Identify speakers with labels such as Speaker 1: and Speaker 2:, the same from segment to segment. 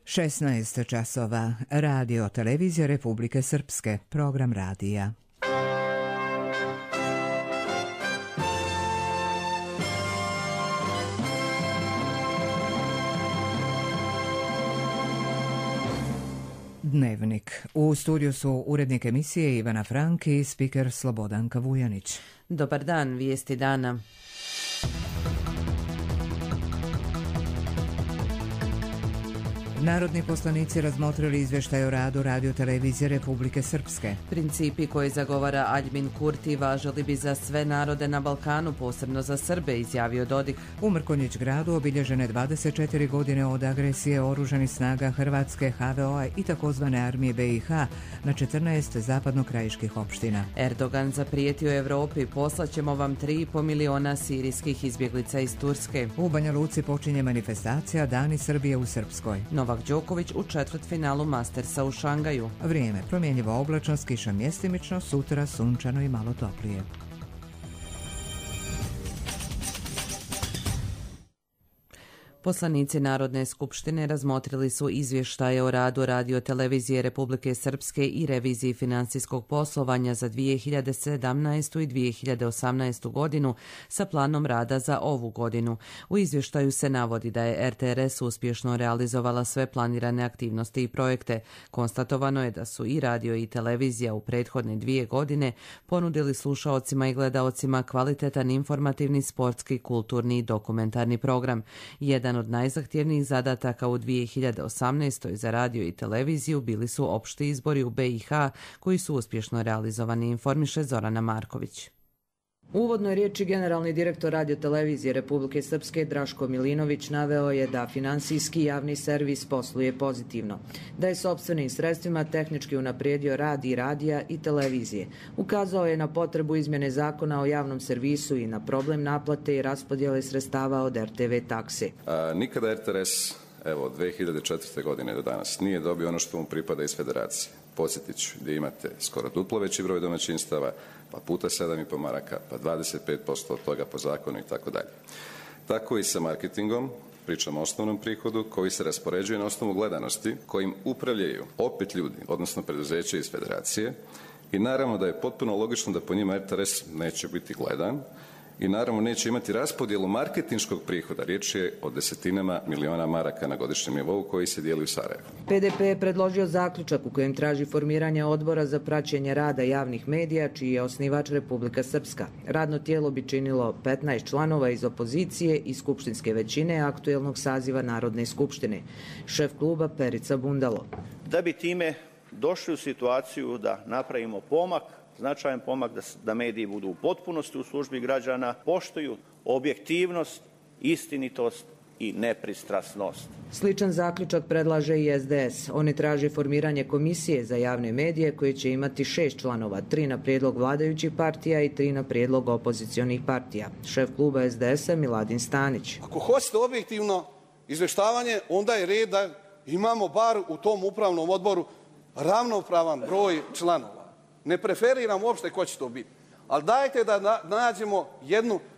Speaker 1: 16 časova. Radio Televizija Republike Srpske. Program radija. Dnevnik. U studiju su urednik emisije Ivana Frank i spiker Slobodanka Vujanić.
Speaker 2: Dobar dan, vijesti dana.
Speaker 1: Narodni poslanici razmotrili izvještaj o radu Radio Televizije Republike Srpske.
Speaker 2: Principi koje zagovara Aljbin Kurti važili bi za sve narode na Balkanu, posebno za Srbe, izjavio Dodik.
Speaker 1: U Mrkonjić gradu obilježene 24 godine od agresije oružanih snaga Hrvatske, HVO-a i takozvane armije BiH na 14 zapadnokrajiških opština.
Speaker 2: Erdogan zaprijetio Evropi, poslaćemo vam 3,5 miliona sirijskih izbjeglica iz Turske.
Speaker 1: U Banja Luci počinje manifestacija Dani Srbije u Srpskoj.
Speaker 2: Novak Đoković u četvrtfinalu Mastersa u Šangaju.
Speaker 1: Vrijeme promjenjivo oblačno, kiša mjestimično, sutra sunčano i malo toplije.
Speaker 2: Poslanici Narodne skupštine razmotrili su izvještaje o radu Radio Televizije Republike Srpske i reviziji financijskog poslovanja za 2017. i 2018. godinu sa planom rada za ovu godinu. U izvještaju se navodi da je RTRS uspješno realizovala sve planirane aktivnosti i projekte. Konstatovano je da su i radio i televizija u prethodne 2 godine ponudili slušaocima i gledaocima kvalitetan informativni, sportski, kulturni i dokumentarni program. Jedan od najzahtjevnijih zadataka u 2018. za radio i televiziju bili su opšti izbori u BiH koji su uspješno realizovani, informiše Zorana Marković. U uvodnoj riječi generalni direktor Radio Televizije Republike Srpske Draško Milinović naveo je da finansijski javni servis posluje pozitivno, da je sopstvenim sredstvima tehnički unaprijedio rad i radija i televizije. Ukazao je na potrebu izmjene zakona o javnom servisu i na problem naplate i raspodjele sredstava od RTV takse.
Speaker 3: Nikada RTRS, od 2004. godine do danas, nije dobio ono što mu pripada iz federacije. Podsjetit ću, gdje imate skoro duplo veći broj domaćinstava, pa puta 7,5 maraka, pa 25% od toga po zakonu i tako dalje. Tako i sa marketingom, pričamo o osnovnom prihodu koji se raspoređuje na osnovu gledanosti, kojim upravljaju opet ljudi, odnosno preduzeće iz federacije, i naravno da je potpuno logično da po njima RTRS neće biti gledan i naravno neće imati raspodjelu marketinškog prihoda. Riječ je o desetinama miliona maraka na godišnjem nivou koji se dijeli u Sarajevu.
Speaker 2: PDP je predložio zaključak u kojem traži formiranje odbora za praćenje rada javnih medija, čiji je osnivač Republika Srpska. Radno tijelo bi činilo 15 članova iz opozicije i skupštinske većine aktuelnog saziva Narodne skupštine. Šef kluba Perica Bundalo.
Speaker 4: Da bi time došli u situaciju da napravimo pomak, značajan pomak, da mediji budu u potpunosti u službi građana, poštuju objektivnost, istinitost i nepristrasnost.
Speaker 2: Sličan zaključak predlaže i SDS. Oni traže formiranje komisije za javne medije koje će imati 6 članova, 3 na prijedlog vladajućih partija i 3 na prijedlog opozicionih partija. Šef kluba SDS-a Miladin Stanić.
Speaker 5: Ako hoćete objektivno izvještavanje, onda je red da imamo bar u tom upravnom odboru ravnopravan broj članova. Ne preferiram uopšte ko će to biti. Ali dajte da nađemo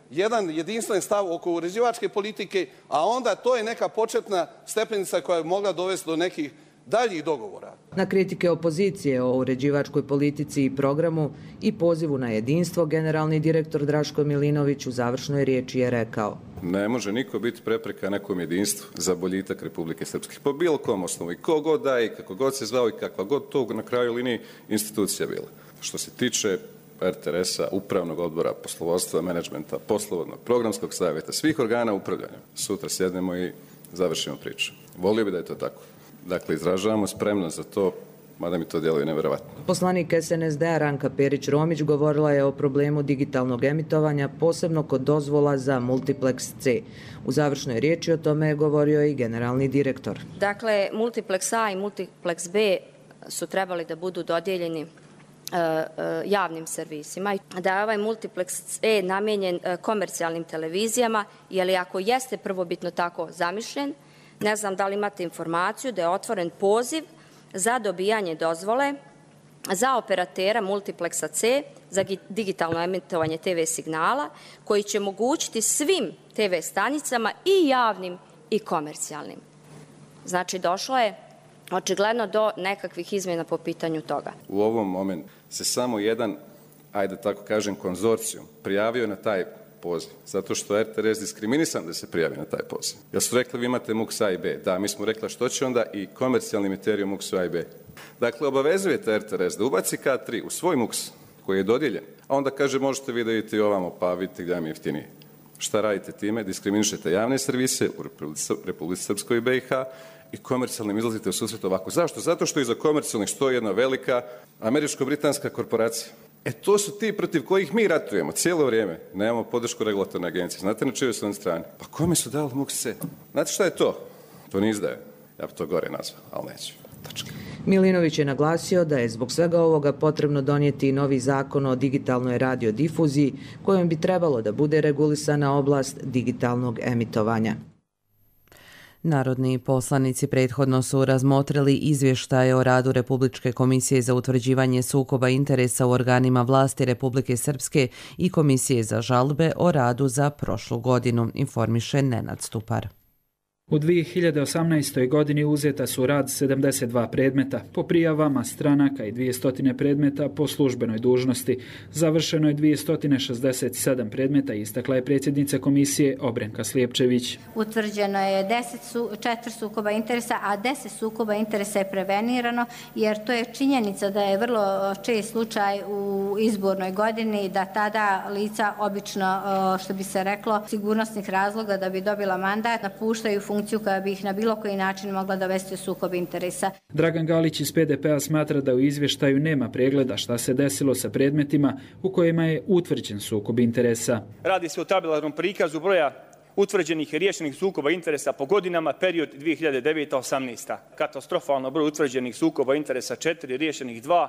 Speaker 5: jedan jedinstven stav oko uređivačke politike, a onda to je neka početna stepenica koja je mogla dovesti do nekih daljih dogovora.
Speaker 2: Na kritike opozicije o uređivačkoj politici i programu i pozivu na jedinstvo, generalni direktor Draško Milinović u završnoj riječi je rekao:
Speaker 3: Ne može niko biti prepreka nekom jedinstvu za boljitak Republike Srpske. Po bilo kom osnovu i ko god da i kako god se zvao i kakva god to na kraju liniji institucija bila. Što se tiče RTRS-a, upravnog odbora, poslovodstva, menadžmenta, poslovodnog, programskog savjeta, svih organa upravljanja, sutra sjednemo i završimo priču. Volio bi da je to tako. Dakle, izražavamo spremnost za to, mada mi to djeluje nevjerovatno.
Speaker 2: Poslanik SNSD-a Ranka Perić-Romić govorila je o problemu digitalnog emitovanja, posebno kod dozvola za Multiplex C. U završnoj riječi o tome je govorio i generalni direktor.
Speaker 6: Dakle, Multiplex A i Multiplex B su trebali da budu dodijeljeni javnim servisima. Da je ovaj Multiplex E namijenjen komercijalnim televizijama, jer ako jeste prvobitno tako zamišljen, ne znam da li imate informaciju da je otvoren poziv za dobijanje dozvole za operatera Multiplexa C za digitalno emitovanje TV signala, koji će omogućiti svim TV stanicama i javnim i komercijalnim Znači, došlo je očigledno do nekakvih izmjena po pitanju toga.
Speaker 3: U ovom momentu se samo jedan, ajde tako kažem, konzorcijum prijavio na taj poziv, zato što je RTS diskriminisan da se prijavi na taj poziv. Jer su rekli vi imate MUX A i B. Da, mi smo rekli što će onda i komercijalni emiterij u MUX A i B. Dakle, obavezujete RTS da ubaci K3 u svoj MUX koji je dodijeljen, a onda kaže možete vi da idete i ovamo, pa vidite gdje mi je jeftinije. Šta radite time? Diskriminišete javne servise u Republici Srpskoj i BiH i komercijalnim izlazite u susret ovako. Zašto? Zato što iza komercijalnih stoji jedna velika američko-britanska korporacija. To su ti protiv kojih mi ratujemo cijelo vrijeme. Nemamo podršku regulatorne agencije. Znate na čijoj su oni strani? Pa kome su dali MUX C? Znate šta je to? To ne izdaje. Ja bi to gore nazvao, ali neću. Tačka.
Speaker 2: Milinović je naglasio da je zbog svega ovoga potrebno donijeti i novi zakon o digitalnoj radiodifuziji kojom bi trebalo da bude regulisana oblast digitalnog emitovanja. Narodni poslanici prethodno su razmotrili izvještaje o radu Republičke komisije za utvrđivanje sukoba interesa u organima vlasti Republike Srpske i Komisije za žalbe o radu za prošlu godinu, informiše Nenad Stupar.
Speaker 7: U 2018. godini uzeta su u rad 72 predmeta po prijavama stranaka i 200 predmeta po službenoj dužnosti. Završeno je 267 predmeta, istakla je predsjednica komisije Obrenka Slijepčević.
Speaker 8: Utvrđeno je 4 sukoba interesa, a 10 sukoba interesa je prevenirano, jer to je činjenica da je vrlo čest slučaj u izbornoj godini da tada lica obično, što bi se reklo, sigurnosnih razloga da bi dobila mandat, napuštaju funkciju koja bi ih na bilo koji način mogla dovesti u sukob interesa.
Speaker 7: Dragan Galić iz PDP-a smatra da u izvještaju nema pregleda šta se desilo sa predmetima u kojima je utvrđen sukob interesa.
Speaker 9: Radi se o tabelarnom prikazu broja utvrđenih i riješenih sukoba interesa po godinama, period 2009-2018. Katastrofalno broj utvrđenih sukoba interesa 4, riješenih 2.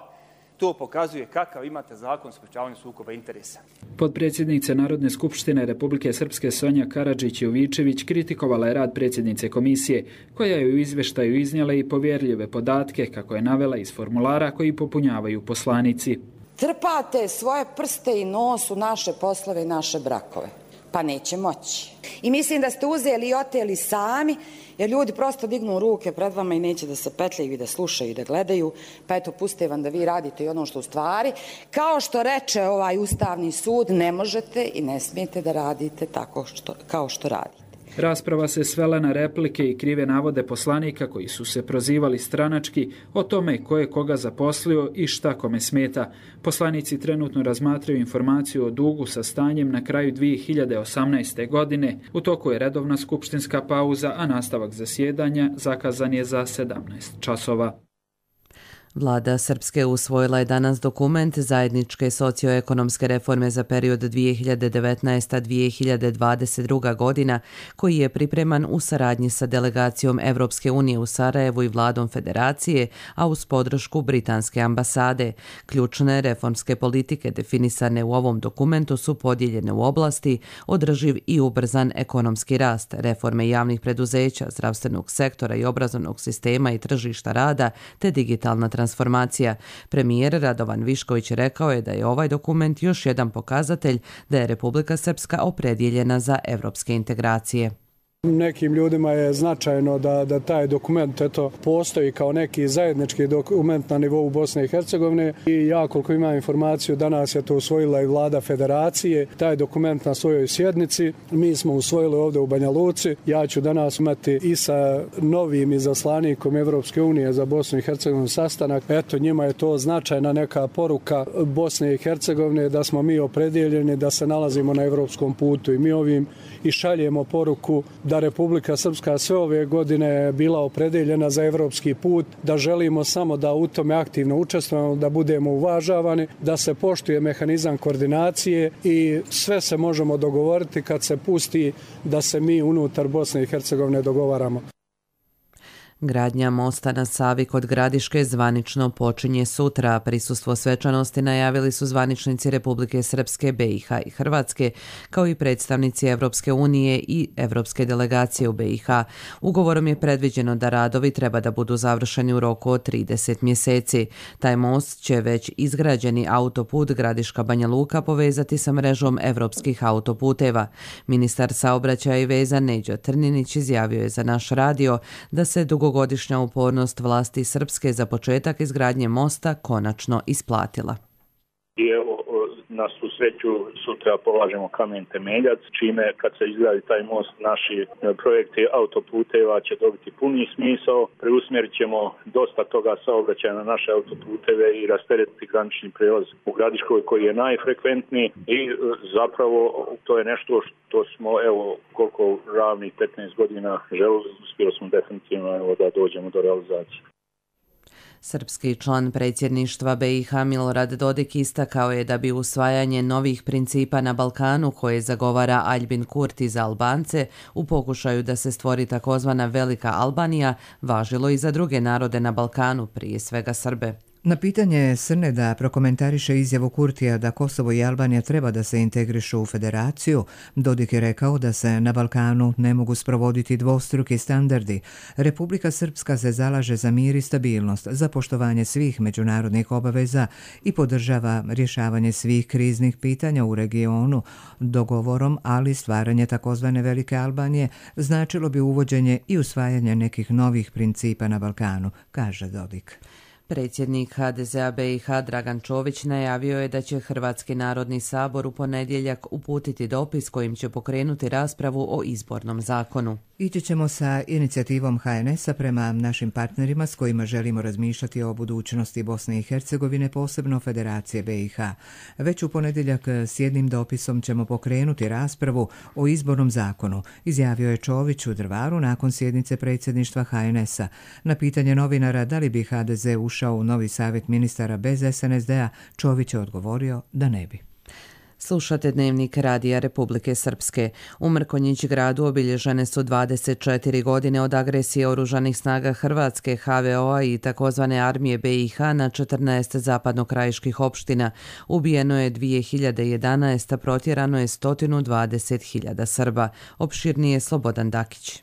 Speaker 9: To pokazuje kakav imate zakon o sprečavanju sukoba interesa.
Speaker 7: Potpredsjednica Narodne skupštine Republike Srpske Sonja Karadžić-Jovičević kritikovala je rad predsjednice komisije, koja je u izvještaju iznijela i povjerljive podatke, kako je navela iz formulara koji popunjavaju poslanici.
Speaker 10: Trpate svoje prste i nos u naše poslove i naše brakove. Pa neće moći. I mislim da ste uzeli i oteli sami, jer ljudi prosto dignu ruke pred vama i neće da se petljaju i da slušaju i da gledaju, pa eto puste vam da vi radite i ono što u stvari, kao što reče ovaj Ustavni sud, ne možete i ne smijete da radite tako kao što radite.
Speaker 7: Rasprava se svela na replike i krive navode poslanika koji su se prozivali stranački o tome ko je koga zaposlio i šta kome smeta. Poslanici trenutno razmatraju informaciju o dugu sa stanjem na kraju 2018. godine. U toku je redovna skupštinska pauza, a nastavak zasjedanja zakazan je za 17 časova.
Speaker 2: Vlada Srpske usvojila je danas dokument zajedničke socioekonomske reforme za period 2019-2022 godina, koji je pripreman u saradnji sa delegacijom Evropske unije u Sarajevu i vladom Federacije, a uz podršku Britanske ambasade. Ključne reformske politike definisane u ovom dokumentu su podijeljene u oblasti održiv i ubrzan ekonomski rast, reforme javnih preduzeća, zdravstvenog sektora i obrazovnog sistema i tržišta rada, te digitalna transformacija. Premijer Radovan Višković rekao je da je ovaj dokument još jedan pokazatelj da je Republika Srpska opredijeljena za evropske integracije.
Speaker 11: Nekim ljudima je značajno da taj dokument postoji kao neki zajednički dokument na nivou Bosne i Hercegovine i ja koliko imam informaciju danas je to usvojila i vlada Federacije, taj dokument na svojoj sjednici. Mi smo usvojili ovdje u Banja Luci. Ja ću danas imati i sa novim izaslanikom Evropske unije za Bosnu i Hercegovinu sastanak. Njima je to značajna neka poruka Bosne i Hercegovine da smo mi opredijeljeni da se nalazimo na evropskom putu i mi ovim i šaljemo poruku da Republika Srpska sve ove godine bila opredeljena za evropski put, da želimo samo da u tome aktivno učestvujemo, da budemo uvažavani, da se poštuje mehanizam koordinacije i sve se možemo dogovoriti kad se pusti da se mi unutar Bosne i Hercegovine dogovaramo.
Speaker 2: Gradnja mosta na Savi kod Gradiške zvanično počinje sutra. Prisustvo svečanosti najavili su zvaničnici Republike Srpske, BiH i Hrvatske, kao i predstavnici Evropske unije i Evropske delegacije u BiH. Ugovorom je predviđeno da radovi treba da budu završeni u roku od 30 mjeseci. Taj most će već izgrađeni autoput Gradiška Banja Luka povezati sa mrežom evropskih autoputeva. Ministar saobraćaja i veza Neđo Trninić izjavio je za naš radio da se dugogodišnja upornost vlasti Srpske za početak izgradnje mosta konačno isplatila.
Speaker 12: I evo, na svu sreću sutra polažemo kamen temeljac, čime kad se izgradi taj most naši projekti autoputeva će dobiti puni smisao. Preusmjerit ćemo dosta toga saobraćaja na naše autoputeve i rasteretiti granični prijelaz u Gradiškoj koji je najfrekventniji i zapravo to je nešto što smo evo koliko ravnih 15 godina želili, uspjeli smo definitivno da dođemo do realizacije.
Speaker 2: Srpski član predsjedništva BiH Milorad Dodik istakao je da bi usvajanje novih principa na Balkanu koje zagovara Aljbin Kurti za Albance u pokušaju da se stvori takozvana Velika Albanija važilo i za druge narode na Balkanu, prije svega Srbe.
Speaker 1: Na pitanje Srne da prokomentariše izjavu Kurtija da Kosovo i Albanija treba da se integrišu u federaciju, Dodik je rekao da se na Balkanu ne mogu sprovoditi dvostruki standardi. Republika Srpska se zalaže za mir i stabilnost, za poštovanje svih međunarodnih obaveza i podržava rješavanje svih kriznih pitanja u regionu. Dogovorom, ali stvaranje takozvane Velike Albanije značilo bi uvođenje i usvajanje nekih novih principa na Balkanu, kaže Dodik.
Speaker 2: Predsjednik HDZ-a BiH Dragan Čović najavio je da će Hrvatski narodni sabor u ponedjeljak uputiti dopis kojim će pokrenuti raspravu o izbornom zakonu.
Speaker 1: Ići ćemo sa inicijativom HNS-a prema našim partnerima s kojima želimo razmišljati o budućnosti Bosne i Hercegovine, posebno Federacije BiH. Već u ponedjeljak s jednim dopisom ćemo pokrenuti raspravu o izbornom zakonu, izjavio je Čović u Drvaru nakon sjednice predsjedništva HNS-a. Na pitanje novinara da li bi HDZ ušao u novi savjet ministara bez SNSD-a, Čović je odgovorio da ne bi.
Speaker 2: Slušate Dnevnik Radija Republike Srpske. U Mrkonjić gradu obilježene su 24 godine od agresije oružanih snaga Hrvatske, HVO-a i takozvane armije BiH na 14 zapadnokrajiških opština. Ubijeno je 2011, protjerano je 120.000 Srba. Opširnije Slobodan Dakić.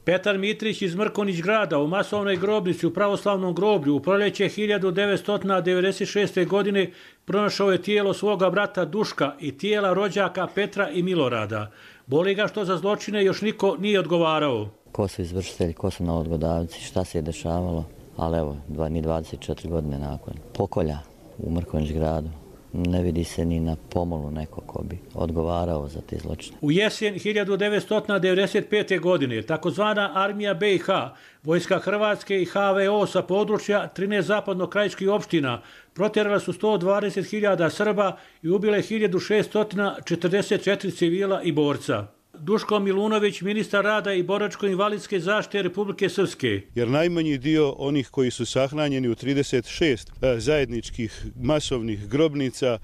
Speaker 13: Petar Mitrić iz Mrkonjić grada u masovnoj grobnici u pravoslavnom groblju u proljeće 1996. godine pronašao je tijelo svoga brata Duška i tijela rođaka Petra i Milorada. Boli ga što za zločine još niko nije odgovarao.
Speaker 14: Ko su izvršitelji, ko su novodgodavci, šta se je dešavalo, ali evo, ni 24 godine nakon pokolja u Mrkonjić gradu. Ne vidi se ni na pomolu neko ko bi odgovarao za te zločine.
Speaker 13: U jesen 1995. godine takozvana armija BiH, vojska Hrvatske i HVO sa područja 13 zapadnokrajiških opština protjerala su 120.000 Srba i ubile 1644 civila i borca. Duško Milunović, ministar rada i boračko-invalidske zaštite Republike Srpske.
Speaker 15: Jer najmanji dio onih koji su sahranjeni u 36 zajedničkih masovnih grobnica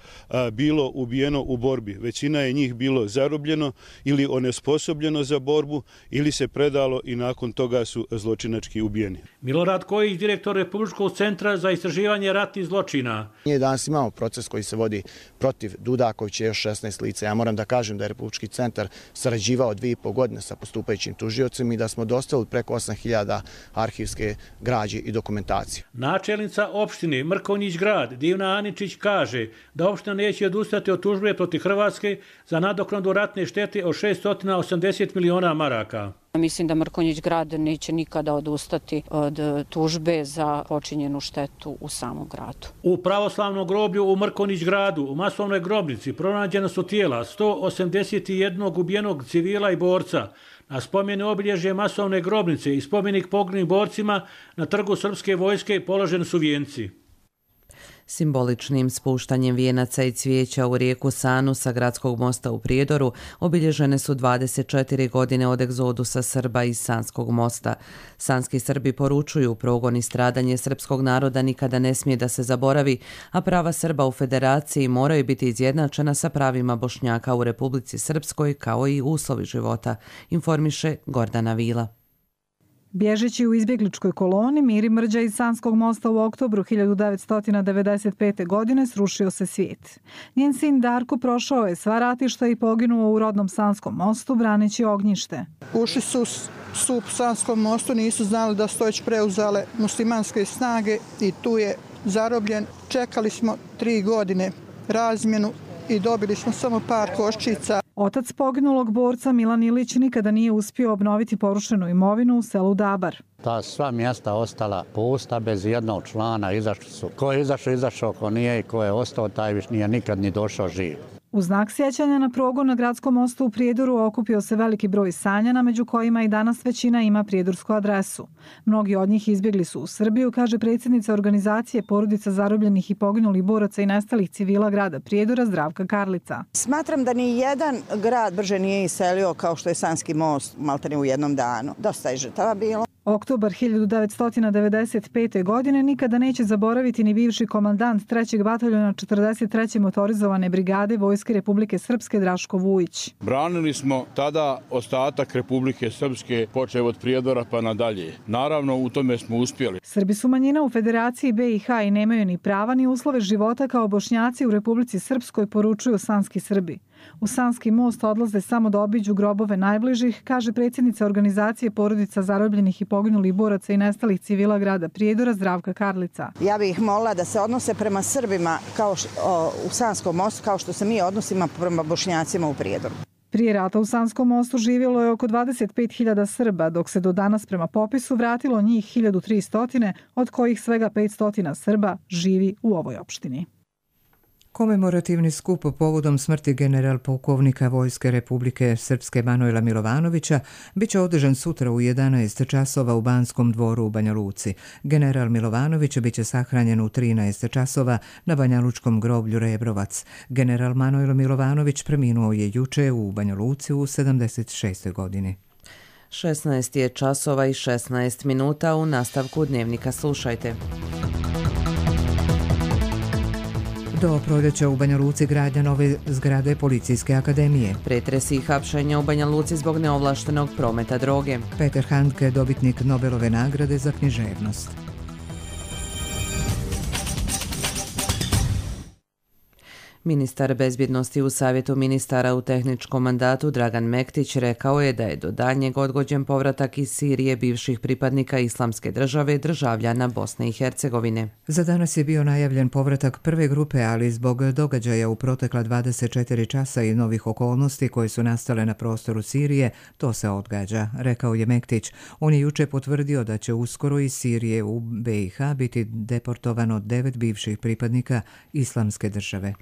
Speaker 15: bilo ubijeno u borbi. Većina je njih bilo zarobljeno ili onesposobljeno za borbu ili se predalo i nakon toga su zločinački ubijeni.
Speaker 13: Milorad Kojić, direktor Republičkog centra za istraživanje ratnih zločina.
Speaker 16: Nije danas imamo proces koji se vodi protiv Dudakovića i još 16 lica. Ja moram da kažem da je Republički centar sarađivao 2,5 godine sa postupajućim tužiocima i da smo dostavili preko 8.000 arhivske građe i dokumentacije.
Speaker 13: Načelnica opštine Mrkonjić grad Divna Aničić kaže da opština neće odustati od tužbe protiv Hrvatske za nadoknadu ratne štete od 680 miliona maraka.
Speaker 17: Mislim da Mrkonjić grad neće nikada odustati od tužbe za počinjenu štetu u samom gradu.
Speaker 13: U pravoslavnom groblju u Mrkonjić gradu u masovnoj grobnici pronađena su tijela 181 ubijenog civila i borca. Na spomene obilježje masovne grobnice i spomenik poginulim borcima na trgu srpske vojske položeni su vijenci.
Speaker 2: Simboličnim spuštanjem vijenaca i cvijeća u rijeku Sanu sa gradskog mosta u Prijedoru obilježene su 24 godine od egzodusa Srba iz Sanskog mosta. Sanski Srbi poručuju progon i stradanje srpskog naroda nikada ne smije da se zaboravi, a prava Srba u federaciji moraju biti izjednačena sa pravima Bošnjaka u Republici Srpskoj kao i uslovi života, informiše Gordana Vila.
Speaker 18: Bježeći u izbjegličkoj koloni, Miri Mrđa iz Sanskog mosta u oktobru 1995. godine srušio se svijet. Njen sin Darko prošao je sva ratišta i poginuo u rodnom Sanskom mostu braneći ognjište.
Speaker 19: Ušli su u Sanskom mostu, nisu znali da su već preuzele muslimanske snage i tu je zarobljen. Čekali smo 3 godine razmjenu i dobili smo samo par koščica.
Speaker 18: Otac poginulog borca Milan Ilić nikada nije uspio obnoviti porušenu imovinu u selu Dabar.
Speaker 20: Ta sva mjesta ostala pusta bez jednog člana. Izašli su. Ko je izašao, ko nije i ko je ostao, taj više nije nikad ni došao živ.
Speaker 18: U znak sjećanja na progon na Gradskom mostu u Prijedoru okupio se veliki broj Sanjana, među kojima i danas većina ima prijedorsku adresu. Mnogi od njih izbjegli su u Srbiju, kaže predsjednica organizacije Porodica zarobljenih i poginulih boraca i nestalih civila grada Prijedora Zdravka Karlica.
Speaker 21: Smatram da ni jedan grad brže nije iselio kao što je Sanski most maltene u jednom danu. Dosta je žrtava bilo.
Speaker 18: Oktobar 1995. godine nikada neće zaboraviti ni bivši komandant 3. bataljona 43. motorizovane brigade Vojske Republike Srpske Draško Vujić.
Speaker 22: Branili smo tada ostatak Republike Srpske, počev od Prijedora pa nadalje. Naravno, u tome smo uspjeli.
Speaker 18: Srbi su manjina u Federaciji BiH i nemaju ni prava ni uslove života kao Bošnjaci u Republici Srpskoj, poručuju sanski Srbi. U Sanski most odlaze samo da obiđu grobove najbližih, kaže predsjednica organizacije Porodica zarobljenih i poginulih boraca i nestalih civila grada Prijedora Zdravka Karlica.
Speaker 21: Ja bih molila da se odnose prema Srbima u Sanskom mostu kao što se mi odnosimo prema Bošnjacima u Prijedoru.
Speaker 18: Prije rata u Sanskom mostu živjelo je oko 25.000 Srba, dok se do danas prema popisu vratilo njih 1.300, od kojih svega 500 Srba živi u ovoj opštini.
Speaker 1: Komemorativni skup povodom smrti general pukovnika Vojske Republike Srpske Manojla Milovanovića biće održan sutra u 11 časova u Banskom dvoru u Banja Luci. General Milovanović biće sahranjen u 13 časova na Banjalučkom groblju Rebrovac. General Manojlo Milovanović preminuo je juče u Banja Luci u 76. godini.
Speaker 2: 16 je časova i 16 minuta. U nastavku dnevnika slušajte.
Speaker 1: Do proljeća u Banja Luci gradnja nove zgrade Policijske akademije.
Speaker 2: Pretresi i hapšenja u Banja Luci zbog neovlaštenog prometa droge.
Speaker 1: Peter Handke, dobitnik Nobelove nagrade za književnost.
Speaker 2: Ministar bezbjednosti u Savjetu ministara u tehničkom mandatu Dragan Mektić rekao je da je do daljnjeg odgođen povratak iz Sirije bivših pripadnika Islamske države državljana Bosne i Hercegovine.
Speaker 1: Za danas je bio najavljen povratak prve grupe, ali zbog događaja u protekla 24 časa i novih okolnosti koje su nastale na prostoru Sirije, to se odgađa, rekao je Mektić. On je juče potvrdio da će uskoro iz Sirije u BiH biti deportovano 9 bivših pripadnika Islamske države.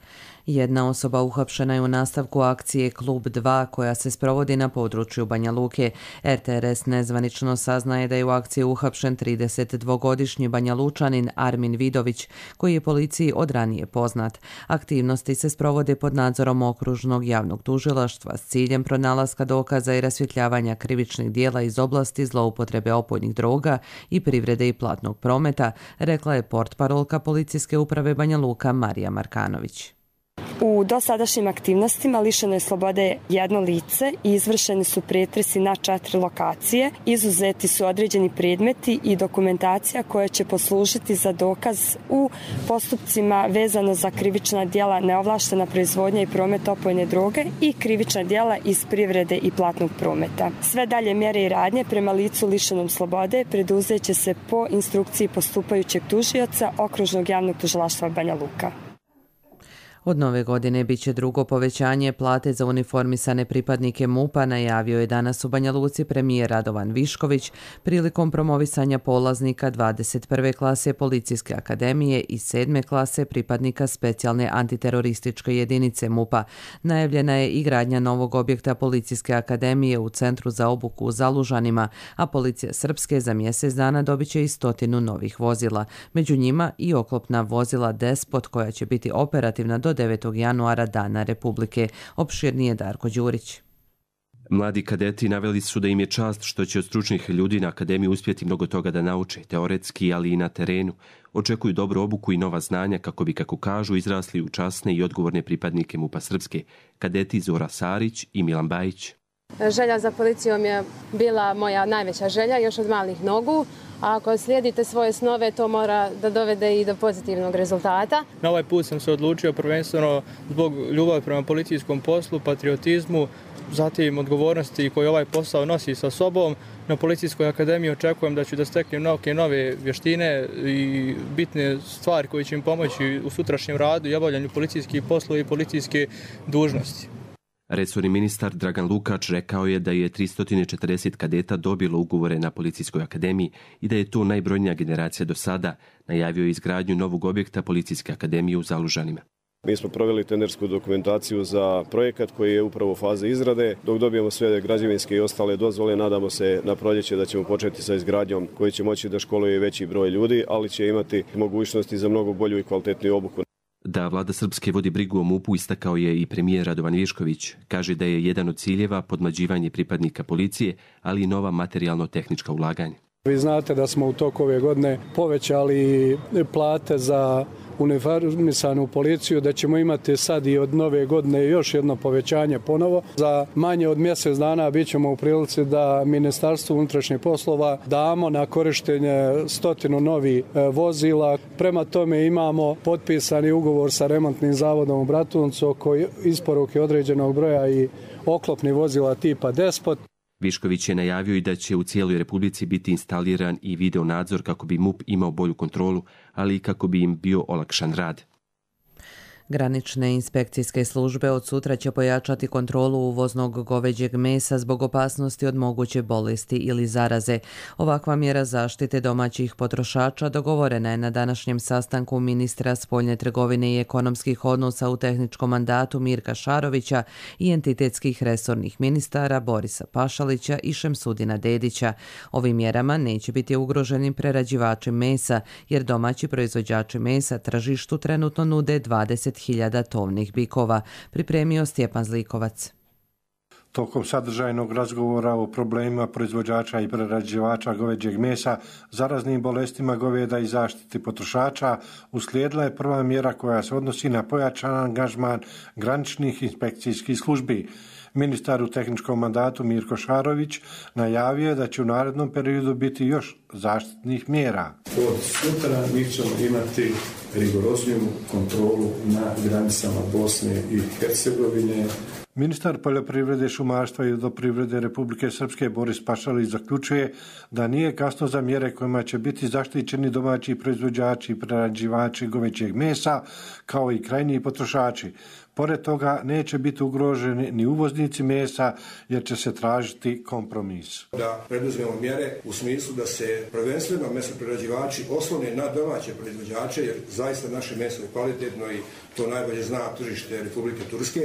Speaker 2: Jedna osoba uhapšena je u nastavku akcije Klub 2 koja se sprovodi na području Banja Luke. RTRS nezvanično saznaje da je u akciji uhapšen 32-godišnji Banja Lučanin Armin Vidović, koji je policiji od ranije poznat. Aktivnosti se sprovode pod nadzorom okružnog javnog tužilaštva s ciljem pronalaska dokaza i rasvjetljavanja krivičnih dijela iz oblasti zloupotrebe opojnih droga i privrede i platnog prometa, rekla je portparolka Policijske uprave Banja Luka Marija Markanović.
Speaker 23: U dosadašnjim aktivnostima lišeno je slobode jedno lice i izvršeni su pretresi na 4 lokacije. Izuzeti su određeni predmeti i dokumentacija koja će poslužiti za dokaz u postupcima vezano za krivična djela neovlaštena proizvodnja i promet opojne droge i krivična djela iz privrede i platnog prometa. Sve dalje mjere i radnje prema licu lišenom slobode preduzeće se po instrukciji postupajućeg tužioca Okružnog javnog tužilaštva Banja Luka.
Speaker 2: Od nove godine biće drugo povećanje plate za uniformisane pripadnike MUP-a, najavio je danas u Banja Luci premijer Radovan Višković prilikom promovisanja polaznika 21. klase Policijske akademije i 7. klase pripadnika specijalne antiterorističke jedinice MUP-a. Najavljena je i gradnja novog objekta Policijske akademije u Centru za obuku u Zalužanima, a Policija Srpske za mjesec dana dobit će i 100 novih vozila. Među njima i oklopna vozila Despot koja će biti operativna do 9. januara Dana Republike. Opširnije Darko Đurić.
Speaker 24: Mladi kadeti naveli su da im je čast što će od stručnih ljudi na akademiji uspjeti mnogo toga da nauče, teoretski, ali i na terenu. Očekuju dobru obuku i nova znanja kako bi, kako kažu, izrasli u časne i odgovorne pripadnike MUP-a Srpske, kadeti Zora Sarić i Milan Bajić.
Speaker 3: Želja za policijom je bila moja najveća želja još od malih nogu. A ako slijedite svoje snove, to mora da dovede i do pozitivnog rezultata.
Speaker 4: Na ovaj put sam se odlučio prvenstveno zbog ljubavi prema policijskom poslu, patriotizmu, zatim odgovornosti koje ovaj posao nosi sa sobom. Na Policijskoj akademiji očekujem da ću da steknem nove vještine i bitne stvari koje će im pomoći u sutrašnjem radu i obavljanju policijskih poslova i policijske dužnosti.
Speaker 24: Resorni ministar Dragan Lukač rekao je da je 340 kadeta dobilo ugovore na Policijskoj akademiji i da je to najbrojnija generacija do sada. Najavio je izgradnju novog objekta Policijske akademije u Zalužanima.
Speaker 5: Mi smo proveli tendersku dokumentaciju za projekat koji je upravo u fazi izrade. Dok dobijemo sve građevinske i ostale dozvole, nadamo se na proljeće da ćemo početi sa izgradnjom koji će moći da školuje veći broj ljudi, ali će imati mogućnosti za mnogo bolju i kvalitetniju obuku.
Speaker 24: Da vlada Srpske vodi brigu o MUP-u istakao je i premijer Radovan Višković. Kaže da je jedan od ciljeva podmlađivanje pripadnika policije, ali i nova materijalno-tehnička ulaganja.
Speaker 11: Vi znate da smo u toku ove godine povećali plate za uniformisanu policiju, da ćemo imati sad i od nove godine još jedno povećanje ponovo. Za manje od mjesec dana bit ćemo u prilici da Ministarstvu unutrašnjih poslova damo na korištenje 100 novih vozila. Prema tome imamo potpisani ugovor sa remontnim zavodom u Bratuncu oko isporuke određenog broja i oklopnih vozila tipa Despot.
Speaker 24: Višković je najavio i da će u cijeloj Republici biti instaliran i video nadzor kako bi MUP imao bolju kontrolu, ali i kako bi im bio olakšan rad.
Speaker 2: Granične inspekcijske službe od sutra će pojačati kontrolu uvoznog goveđeg mesa zbog opasnosti od moguće bolesti ili zaraze. Ovakva mjera zaštite domaćih potrošača dogovorena je na današnjem sastanku ministra spoljne trgovine i ekonomskih odnosa u tehničkom mandatu Mirka Šarovića i entitetskih resornih ministara Borisa Pašalića i Šemsudina Dedića. Ovim mjerama neće biti ugroženi prerađivači mesa, jer domaći proizvođači mesa tržištu trenutno nude 20.000 tovnih bikova, pripremio Stjepan Zlikovac.
Speaker 6: Tokom sadržajnog razgovora o problemima proizvođača i prerađivača goveđeg mesa, zaraznim bolestima goveda i zaštiti potrošača, uslijedila je prva mjera koja se odnosi na pojačan angažman graničnih inspekcijskih službi. Ministar u tehničkom mandatu Mirko Šarović najavio je da će u narednom periodu biti još zaštitnih mjera.
Speaker 25: Od sutra mi ćemo imati rigorozniju kontrolu na granicama Bosne i Hercegovine.
Speaker 6: Ministar poljoprivrede, šumarstva i vodoprivrede Republike Srpske Boris Pašalić zaključuje da nije kasno za mjere kojima će biti zaštićeni domaći proizvođači i prerađivači goveđeg mesa, kao i krajnji potrošači. Pored toga neće biti ugroženi ni uvoznici mesa, jer će se tražiti kompromis.
Speaker 25: Da preduzmemo mjere u smislu da se prvenstveno mesoprerađivači oslone na domaće proizvođače, jer zaista naše meso je kvalitetno i to najbolje zna tržište Republike Turske.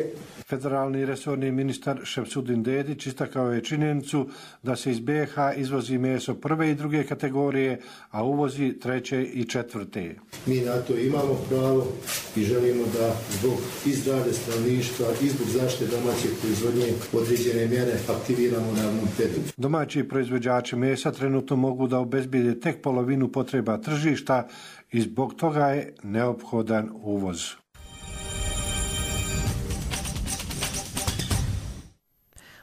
Speaker 6: Federalni resorni ministar Šemsudin Dedić istakao je činjenicu da se iz BiH izvozi meso prve i druge kategorije, a uvozi treće i četvrte.
Speaker 25: Mi na to imamo pravo i želimo da zbog zdravlja stanovništva i zbog zaštite domaće proizvodnje određene mjere aktiviramo u narednom periodu.
Speaker 6: Domaći proizvođači mesa trenutno mogu da obezbijede tek polovinu potreba tržišta i zbog toga je neophodan uvoz.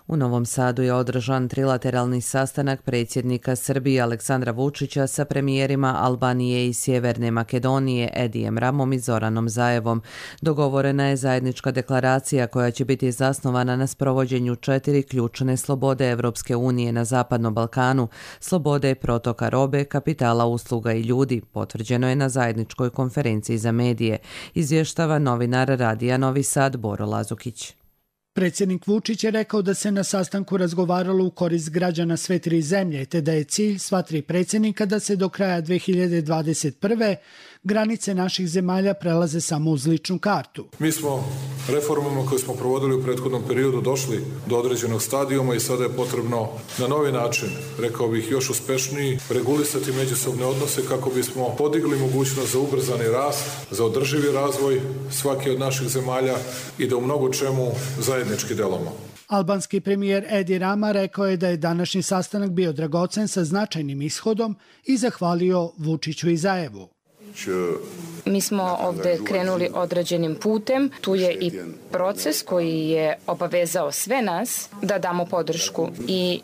Speaker 2: U Novom Sadu je održan trilateralni sastanak predsjednika Srbije Aleksandra Vučića sa premijerima Albanije i Sjeverne Makedonije Edijem Ramom i Zoranom Zaevom. Dogovorena je zajednička deklaracija koja će biti zasnovana na sprovođenju 4 ključne slobode Evropske unije na Zapadnom Balkanu, slobode protoka robe, kapitala, usluga i ljudi, potvrđeno je na zajedničkoj konferenciji za medije, izvještava novinar Radija Novi Sad Boro Lazukić.
Speaker 26: Predsjednik Vučić je rekao da se na sastanku razgovaralo u korist građana sve 3 zemlje, te da je cilj sva 3 predsjednika da se do kraja 2021. granice naših zemalja prelaze samo uz ličnu kartu.
Speaker 27: Mi smo reformama koje smo provodili u prethodnom periodu došli do određenog stadijuma i sada je potrebno na novi način, rekao bih još uspešniji, regulisati međusobne odnose kako bismo podigli mogućnost za ubrzani rast, za održivi razvoj svake od naših zemalja i da u mnogo čemu zajednički delamo.
Speaker 26: Albanski premijer Edi Rama rekao je da je današnji sastanak bio dragocen sa značajnim ishodom i zahvalio Vučiću i Zaevu.
Speaker 27: Që
Speaker 7: Mi smo ovde krenuli određenim putem. Tu je i proces koji je obavezao sve nas da damo podršku i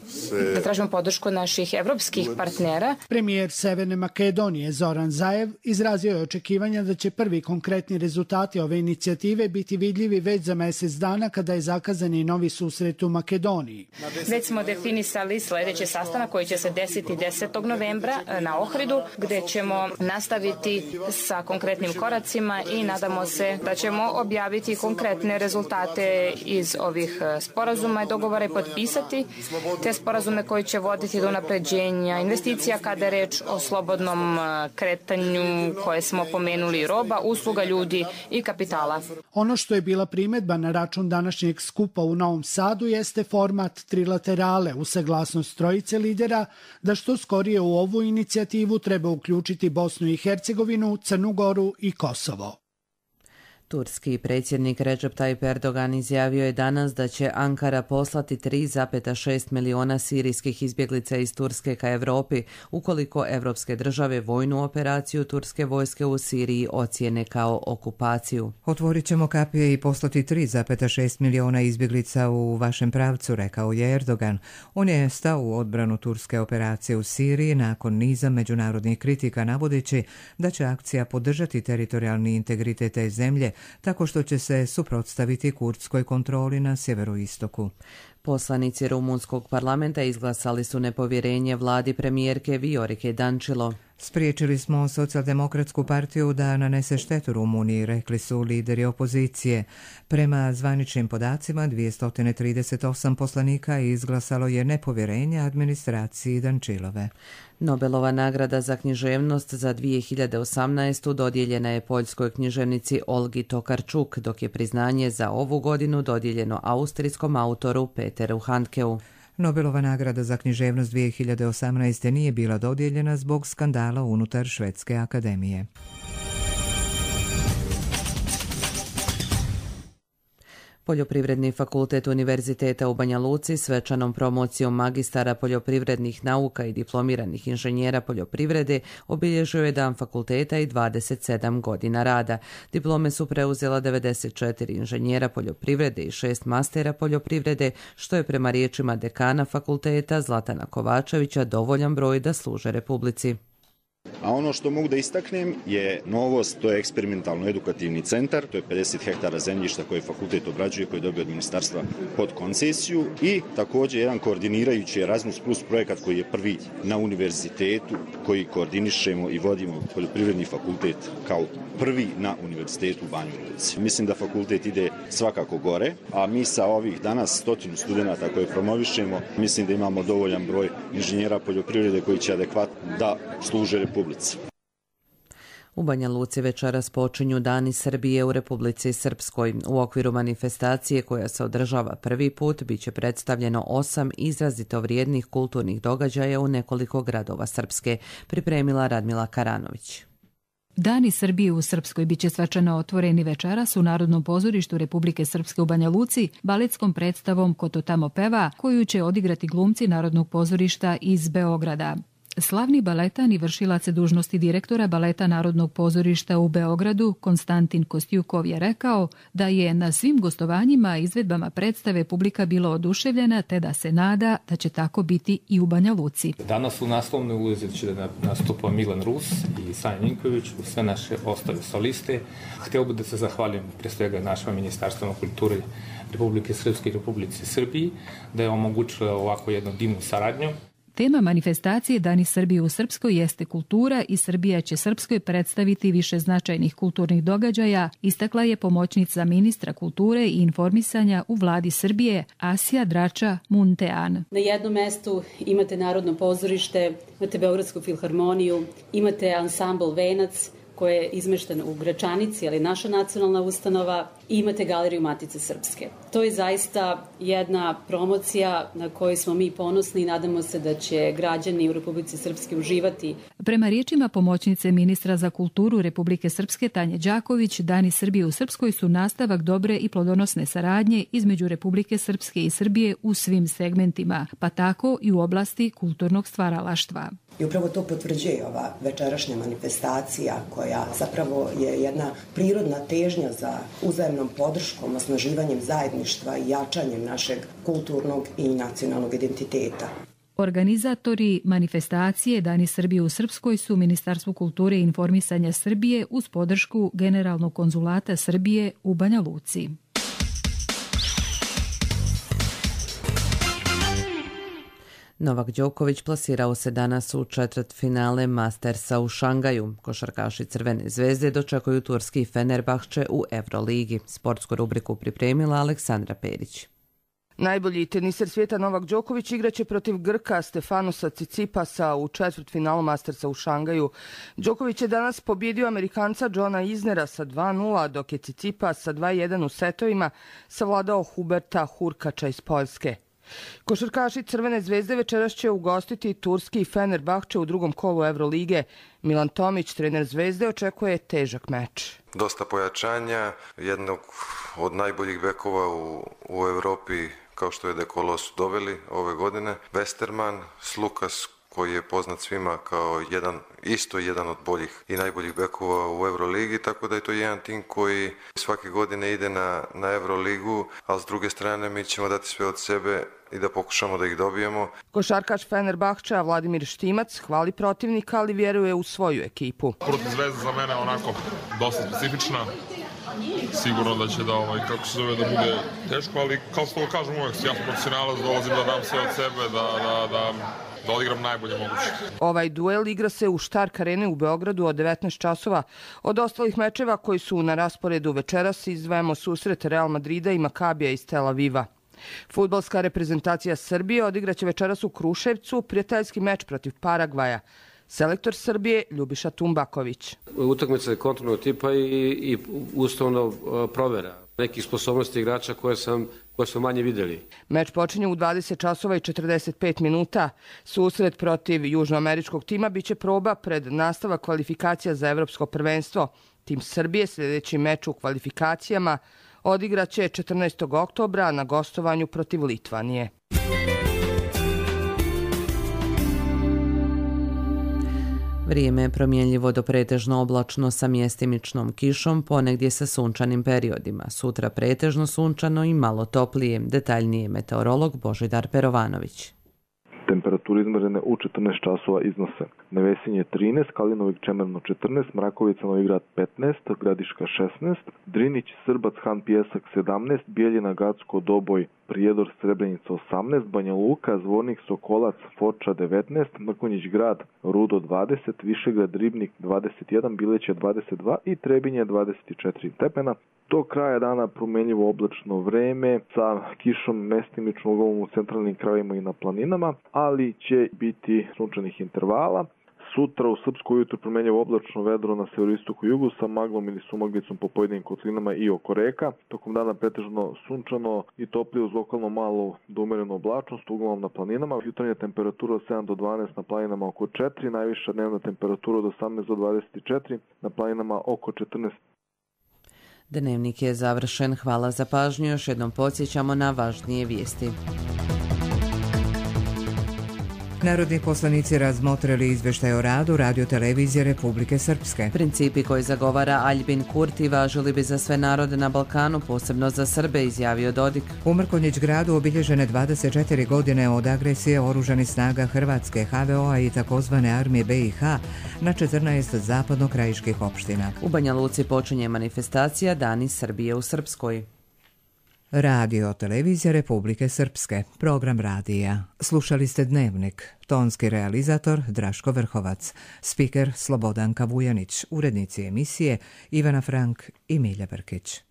Speaker 7: da tražimo podršku naših evropskih partnera.
Speaker 26: Premijer Severne Makedonije Zoran Zaev izrazio je očekivanja da će prvi konkretni rezultati ove inicijative biti vidljivi već za mjesec dana kada je zakazan i novi susret u Makedoniji.
Speaker 7: Već smo definisali sljedeći sastanak koji će se desiti 10. novembra na Ohridu, gdje ćemo nastaviti sa konkretnim koracima i nadamo se da ćemo objaviti konkretne rezultate iz ovih sporazuma i dogovora i potpisati te sporazume koji će voditi do unapređenja investicija kada je reč o slobodnom kretanju koje smo pomenuli roba, usluga, ljudi i kapitala.
Speaker 26: Ono što je bila primjedba na račun današnjeg skupa u Novom Sadu jeste format trilaterale u saglasnost trojice lidera da što skorije u ovu inicijativu treba uključiti Bosnu i Hercegovinu, Crnu Goru i Kosovo.
Speaker 2: Turski predsjednik Recep Tayyip Erdogan izjavio je danas da će Ankara poslati 3,6 miliona sirijskih izbjeglica iz Turske ka Europi ukoliko evropske države vojnu operaciju turske vojske u Siriji ocijene kao okupaciju.
Speaker 1: Otvorit ćemo kapije i poslati 3,6 miliona izbjeglica u vašem pravcu, rekao je Erdogan. On je stao u odbranu turske operacije u Siriji nakon niza međunarodnih kritika navodeći da će akcija podržati teritorijalni integritet te zemlje tako što će se suprotstaviti kurdskoj kontroli na sjeveroistoku.
Speaker 2: Poslanici rumunskog parlamenta izglasali su nepovjerenje vladi premijerke Viorike Dančilo.
Speaker 1: Spriječili smo Socijaldemokratsku partiju da nanese štetu Rumuniji, rekli su lideri opozicije. Prema zvaničnim podacima, 238 poslanika izglasalo je nepovjerenje administraciji Dančilove.
Speaker 2: Nobelova nagrada za književnost za 2018. dodijeljena je poljskoj književnici Olgi Tokarczuk, dok je priznanje za ovu godinu dodijeljeno austrijskom autoru Peteru Handkeu.
Speaker 1: Nobelova nagrada za književnost 2018. nije bila dodijeljena zbog skandala unutar Švedske akademije.
Speaker 2: Poljoprivredni fakultet Univerziteta u Banja Luci svečanom promocijom magistara poljoprivrednih nauka i diplomiranih inženjera poljoprivrede obilježio je dan fakulteta i 27 godina rada. Diplome su preuzela 94 inženjera poljoprivrede i 6 mastera poljoprivrede, što je prema riječima dekana fakulteta Zlatana Kovačevića dovoljan broj da služe Republici.
Speaker 8: A ono što mogu da istaknem je novost, to je eksperimentalno-edukativni centar, to je 50 hektara zemljišta koje fakultet obrađuje, koje je dobio od ministarstva pod koncesiju i također jedan koordinirajući Erasmus Plus projekat koji je prvi na univerzitetu, koji koordinišemo i vodimo poljoprivredni fakultet kao prvi na univerzitetu u Banji Luci. Mislim da fakultet ide svakako gore, a mi sa ovih danas 100 studenata koje promovišemo, mislim da imamo dovoljan broj inženjera poljoprivrede koji će adekvatno da služe Republici.
Speaker 2: U Banja Luci večeras počinju Dani Srbije u Republici Srpskoj. U okviru manifestacije koja se održava prvi put biće predstavljeno 8 izrazito vrijednih kulturnih događaja u nekoliko gradova Srpske, pripremila Radmila Karanović.
Speaker 9: Dani Srbije u Srpskoj biće svečano otvoreni večeras u Narodnom pozorištu Republike Srpske u Banja Luci baletskom predstavom Ko to tamo peva, koju će odigrati glumci Narodnog pozorišta iz Beograda. Slavni baletan i vršilac dužnosti direktora baleta Narodnog pozorišta u Beogradu, Konstantin Kostjukov, je rekao da je na svim gostovanjima i izvedbama predstave publika bila oduševljena te da se nada da će tako biti i u Banja Luci.
Speaker 10: Danas u naslovnoj ulozi će da nastupa Milan Rus i Sanja Ninković, u sve naše ostale soliste. Htio bih da se zahvalim pre svega našem Ministarstvu kulture Republike Srpske i Republici Srbiji da je omogućila ovako jednu divnu saradnju.
Speaker 9: Tema manifestacije Dani Srbije u Srpskoj jeste kultura i Srbija će Srpskoj predstaviti više značajnih kulturnih događaja, istakla je pomoćnica ministra kulture i informisanja u vladi Srbije Asija Drača Muntean.
Speaker 12: Na jednom mestu imate Narodno pozorište, imate Beogradsku filharmoniju, imate ansambl Venac, koje je izmešten u Gračanici, ali naša nacionalna ustanova, i imate Galeriju Matice Srpske. To je zaista jedna promocija na kojoj smo mi ponosni i nadamo se da će građani u Republici Srpske uživati.
Speaker 9: Prema riječima pomoćnice ministra za kulturu Republike Srpske Tanje Đaković, Dani Srbije u Srpskoj su nastavak dobre i plodonosne saradnje između Republike Srpske i Srbije u svim segmentima, pa tako i u oblasti kulturnog stvaralaštva.
Speaker 13: I upravo to potvrđuje ova večerašnja manifestacija koja zapravo je jedna prirodna težnja za uzajemnom podrškom, osnaživanjem zajedništva i jačanjem našeg kulturnog i nacionalnog identiteta.
Speaker 9: Organizatori manifestacije Dani Srbije u Srpskoj su Ministarstvo kulture i informisanja Srbije uz podršku Generalnog konzulata Srbije u Banja Luci.
Speaker 2: Novak Đoković plasirao se danas u četvrtfinale Mastersa u Šangaju. Košarkaši Crvene zvezde dočekuju turski Fenerbahče u Euroligi. Sportsku rubriku pripremila Aleksandra Perić.
Speaker 14: Najbolji teniser svijeta Novak Đoković igraće protiv Grka Stefanosa Cicipasa u četvrtfinalu Mastersa u Šangaju. Đoković je danas pobjedio Amerikanca Johna Isnera sa 2:0, dok je Cicipas sa 2:1 u setovima savladao Huberta Hurkača iz Poljske. Košarkaši Crvene zvezde večeras će ugostiti turski Fenerbahče u drugom kolu Evrolige. Milan Tomić, trener Zvezde, očekuje težak meč.
Speaker 15: Dosta pojačanja, jednog od najboljih bekova u Evropi, kao što je Dekolo, su doveli ove godine. Westerman, Slukas, koji je poznat svima kao jedan od boljih i najboljih bekova u Euroligi, tako da je to jedan tim koji svake godine ide na Euroligu, ali s druge strane mi ćemo dati sve od sebe i da pokušamo da ih dobijemo.
Speaker 14: Košarkaš Fenerbahča Vladimir Štimac hvali protivnika, ali vjeruje u svoju ekipu.
Speaker 16: Protiv Zvezde za mene onako dosta specifična. Sigurno da će da bude teško, ali kao što kažem uvijek, ja sam profesionalac, dolazim da dam sve od sebe, da odigram najbolje moguće.
Speaker 14: Ovaj duel igra se u Štark arene u Beogradu od 19 časova. Od ostalih mečeva koji su na rasporedu večeras izdvajamo susret Real Madrida i Makabija iz Tel Aviva. Fudbalska reprezentacija Srbije odigraće večeras u Kruševcu prijateljski meč protiv Paragvaja. Selektor Srbije Ljubiša Tumbaković.
Speaker 17: Utakmica je kontrolnog tipa i ustavno provera nekih sposobnosti igrača koje smo manje videli.
Speaker 14: Meč počinje u 20 časova i 45 minuta. Susret protiv južnoameričkog tima biće proba pred nastavak kvalifikacija za evropsko prvenstvo. Tim Srbije sljedeći meč u kvalifikacijama odigraće 14. oktobra na gostovanju protiv Litvanije.
Speaker 2: Vrijeme je promjenljivo do pretežno oblačno sa mjestimičnom kišom, ponegdje sa sunčanim periodima. Sutra pretežno sunčano i malo toplije. Detaljnije meteorolog Božidar Perovanović.
Speaker 19: Temperature izmjerene u 14 časova iznose: Nevesinje 13, Kalinovik Čemerno 14, Mrakovica Novigrad 15, Gradiška 16, Drinić, Srbac, Han Pijesak 17, Bijeljina, Gacko, Doboj, Prijedor, Srebrenica 18, Banja Luka, Zvornik, Sokolac, Foča 19, Mrkonjić Grad, Rudo 20, Višegrad, Ribnik 21, Bileće 22 i Trebinje 24 stepena. Do kraja dana promjenjivo oblačno vreme sa kišom mestimično uglavnom u centralnim krajevima i na planinama, ali će biti sunčanih intervala. Sutra u Srpskoj ujutru promjenjivo oblačno vedro na severoistoku i jugu sa maglom ili sumaglicom po pojedinim kotlinama i oko reka. Tokom dana pretežno sunčano i toplije uz lokalno malo do umerenu oblačnost, uglavnom na planinama. Jutarnja temperatura od 7 do 12, na planinama oko 4, najviša dnevna temperatura od 18 do 24, na planinama oko 14.
Speaker 2: Dnevnik je završen. Hvala za pažnju. Još jednom podsjećamo na važnije vijesti.
Speaker 1: Narodni poslanici razmotrili izvještaj o radu Radio-televizije Republike Srpske.
Speaker 2: Principi koje zagovara Aljbin Kurti važili bi za sve narode na Balkanu, posebno za Srbe, izjavio Dodik.
Speaker 1: U Mrkonjić Gradu obilježene 24 godine od agresije oružanih snaga Hrvatske, HVO-a i takozvane armije BiH na 14 zapadno-krajiških opština.
Speaker 2: U Banja Luci počinje manifestacija Dani Srbije u Srpskoj.
Speaker 1: Radio-televizija Republike Srpske, program radija. Slušali ste Dnevnik, tonski realizator Draško Vrhovac, spiker Slobodanka Vujanić, urednici emisije Ivana Frank i Milja Brkić.